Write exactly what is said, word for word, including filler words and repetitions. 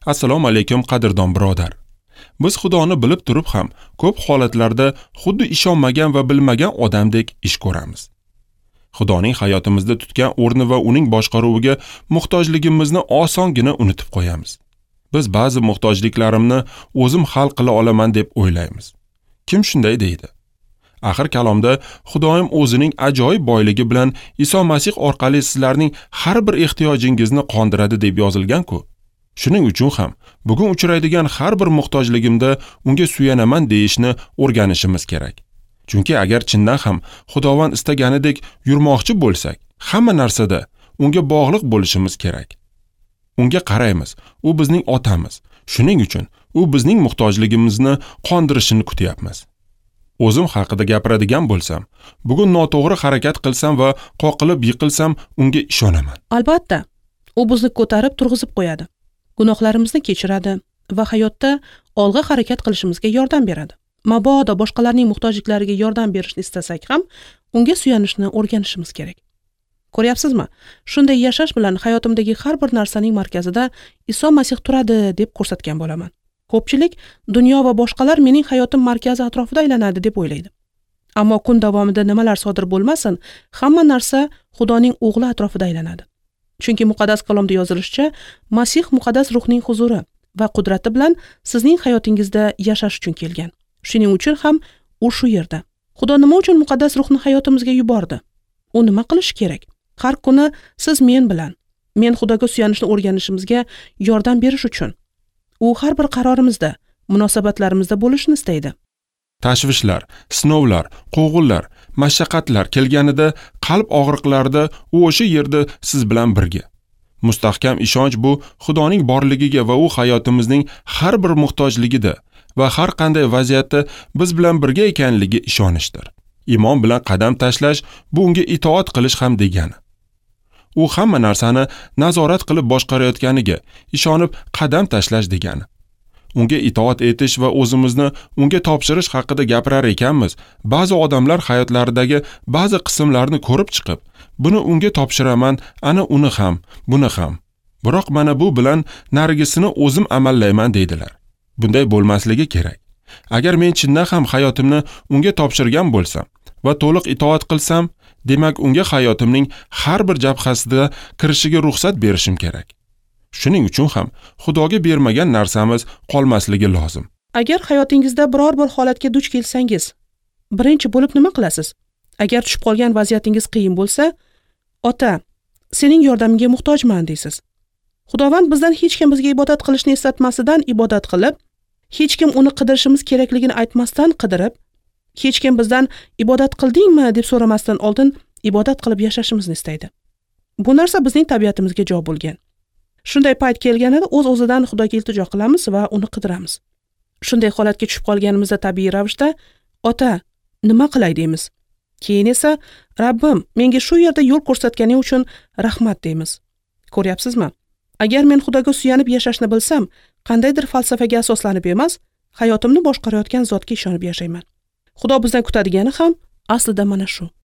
Assalomu alaykum qadrdon birodar. Biz Xudoni bilib turib ham ko'p holatlarda xuddi ishonmagan va bilmagan odamdek ish ko'ramiz. Xudoning hayotimizda tutgan o'rni va uning boshqaruviga muhtojligimizni osongina unutib qo'yamiz. Biz ba'zi muhtojliklarimni o'zim hal qila olaman deb o'ylaymiz. Kim shunday deydi? Axir kalomda Xudoyim o'zining ajoyib boyligi bilan Iso Masih orqali sizlarning har bir ehtiyojingizni qondiradi deb yozilgan-ku. Shuning uchun ham bugun uchraydigan har bir muhtojligimda unga suyanaman deyishni o'rganishimiz kerak. Chunki agar chindan ham Xudovand istaganidek yurmoqchi bo'lsak, hamma narsada unga bog'liq bo'lishimiz kerak. Unga qaraymiz, u bizning otamiz. Shuning uchun u bizning muhtojligimizni qondirishini kutyapmiz. O'zim haqida gapiradigan bo'lsam, bugun noto'g'ri harakat qilsam va qoqilib yiqilsam, unga ishonaman. Albatta, u bizni ko'tarib turg'izib qo'yadi. Gunohlarimizni kechiradi va hayotda olg'a harakat qilishimizga yordam beradi. Mabodo boshqalarning muhtojliklariga yordam berishni istasak ham, unga suyanishni o'rganishimiz kerak. Ko'ryapsizmi? Shunday yashash bilan hayotimdagi har bir narsaning markazida Iso Masih turadi deb ko'rsatgan bo'laman. Ko'pchilik dunyo va boshqalar mening hayotim markazi atrofida aylanadi deb o'ylaydi. Ammo kun davomida nimalar sodir bo'lmasin, hamma narsa Xudoning o'g'li atrofida aylanadi. Chunki muqaddas kalomda yozilishicha, Masih muqaddas ruhning huzuri va qudrati bilan sizning hayotingizda yashash uchun kelgan. Shuning uchun ham u shu yerda. Xudo nima uchun muqaddas ruhni hayotimizga yubordi? U nima qilishi kerak? Har kuni siz men bilan, men Xudoga suyanishni o'rganishimizga yordam berish uchun. U har bir qarorimizda, munosabatlarimizda bo'lishni istaydi. Tashvishlar, sinovlar, quvg'inlar, mashaqqatlar kelganida, qalb og'riqlarida u o'sha yerda siz bilan birga. Mustahkam ishonch bu Xudoning borligiga va u hayotimizning har bir muhtojligida va har qanday vaziyatda biz bilan birga ekanligiga ishonishdir. Iymon bilan qadam tashlash bu unga itoat qilish ham degani. U hamma narsani nazorat qilib boshqarayotganiga ishonib qadam tashlash degani. Unga itoat etish va o'zimizni unga topshirish haqida gapirar ekanmiz, ba'zi odamlar hayotlaridagi ba'zi qismlarni ko'rib chiqib, buni unga topshiraman, ana uni ham, buni ham. Biroq mana bu bilan narigisini o'zim amallayman deydilar. Bunday bo'lmasligi kerak. Agar men chindan ham hayotimni unga topshirgan bo'lsam va to'liq itoat qilsam, demak unga hayotimning har bir jabhasida kirishiga ruxsat berishim kerak. Shuning uchun ham Xudoga bermagan narsamiz qolmasligi lozim. Agar hayotingizda biror bir holatga duch kelsangiz, birinchi bo'lib nima qilasiz? Agar tushib qolgan vaziyatingiz qiyin bo'lsa, ota, sening yordamingga muhtojman deysiz. Xudovand bizdan hech kim bizga ibodat qilishni eslatmasidan ibodat qilib, hech kim uni qidirishimiz kerakligini aytmasdan qidirib, hech kim bizdan ibodat qildingmi deb so'ramasdan oldin ibodat qilib yashashimizni istaydi. Bu narsa bizning tabiatimizga jo bo'lgan. Shunday payt kelganida o'z-o'zidan Xudoga iltijo qilamiz va uni qidiramiz. Shunday holatga tushib qolganimizda tabiiy ravishda ota, nima qilay deymiz. Keyin esa Rabbim, menga shu yerda yo'l ko'rsatganing uchun rahmat deymiz. Ko'ryapsizmi? Agar men Xudoga suyanib yashashni bilsam, qandaydir falsafaga asoslanib emas, hayotimni boshqarayotgan zotga ishonib yashayman. Xudo bizdan kutadigani ham aslida mana shu.